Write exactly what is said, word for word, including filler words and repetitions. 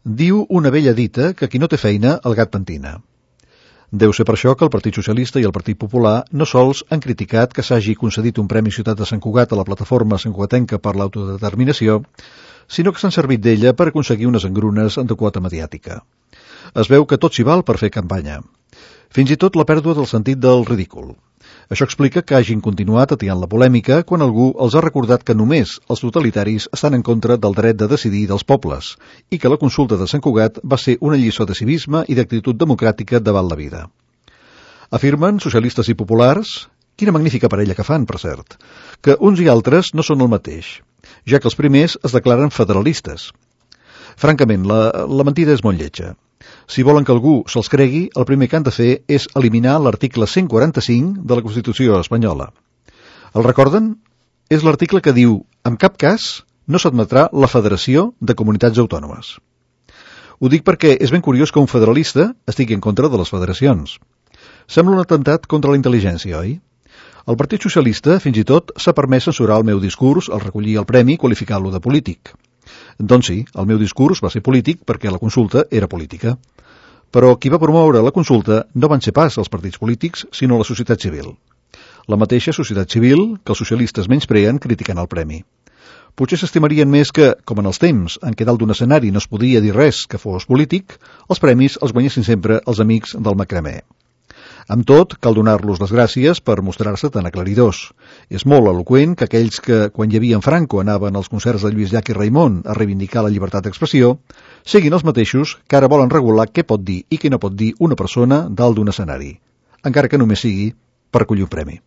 Diu una vella dita que qui no té feina, el gat pentina. Deu ser per això que el Partit Socialista i el Partit Popular no sols han criticat que s'hagi concedit un Premi Ciutat de Sant Cugat a la plataforma santcugatenca per l'autodeterminació, sinó que s'han servit d'ella per aconseguir unes engrunes de quota mediàtica. Es veu que tot s'hi val per fer campanya. Fins i tot la pèrdua del sentit del ridícul. Això explica que hagin continuat atiant la polèmica quan algú els ha recordat que només els totalitaris estan en contra del dret de decidir dels pobles i que la consulta de Sant Cugat va ser una lliçó de civisme i d'actitud democràtica davant la vida. Afirmen socialistes i populars, quina magnífica parella que fan, per cert, que uns i altres no són el mateix, ja que els primers es declaren federalistes. Francament, la, la mentida és molt lletja. Si volen que algú se'ls cregui, el primer que han de fer és eliminar l'article cent quaranta-cinc de la Constitució espanyola. El recorden? És l'article que diu, en cap cas no s'admetrà la federació de comunitats autònomes. Ho dic perquè és ben curiós que un federalista estigui en contra de les federacions. Sembla un atemptat contra la intel·ligència, oi? El Partit Socialista, fins i tot, s'ha permès censurar el meu discurs al recollir el premi qualificant-lo de polític. Doncs sí, el meu discurs va ser polític perquè la consulta era política. Però qui va promoure la consulta no van ser pas els partits polítics, sinó la societat civil. La mateixa societat civil que els socialistes menyspreen criticant el premi. Potser s'estimarien més que, com en els temps en què dalt d'un escenari no es podia dir res que fos polític, els premis els guanyessin sempre els amics del macramé. Amb tot, cal donar-los les gràcies per mostrar-se tan aclaridors. És molt eloqüent que aquells que, quan hi havia en Franco, anaven als concerts de Lluís Llach i Raimon a reivindicar la llibertat d'expressió, siguin els mateixos que ara volen regular què pot dir i què no pot dir una persona dalt d'un escenari, encara que només sigui per collir un premi.